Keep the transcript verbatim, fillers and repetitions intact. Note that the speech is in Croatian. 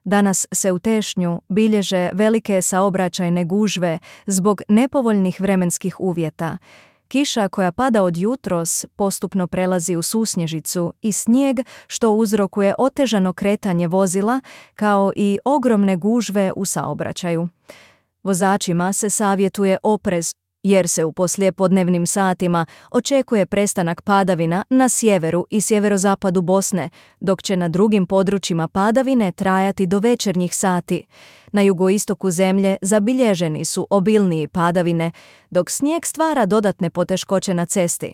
Danas se u Tešnju bilježe velike saobraćajne gužve zbog nepovoljnih vremenskih uvjeta. Kiša koja pada od jutros postupno prelazi u susnježicu i snijeg što uzrokuje otežano kretanje vozila kao i ogromne gužve u saobraćaju. Vozačima se savjetuje oprez jer se u poslijepodnevnim satima očekuje prestanak padavina na sjeveru i sjeverozapadu Bosne, dok će na drugim područjima padavine trajati do večernjih sati. Na jugoistoku zemlje zabilježeni su obilniji padavine, dok snijeg stvara dodatne poteškoće na cesti.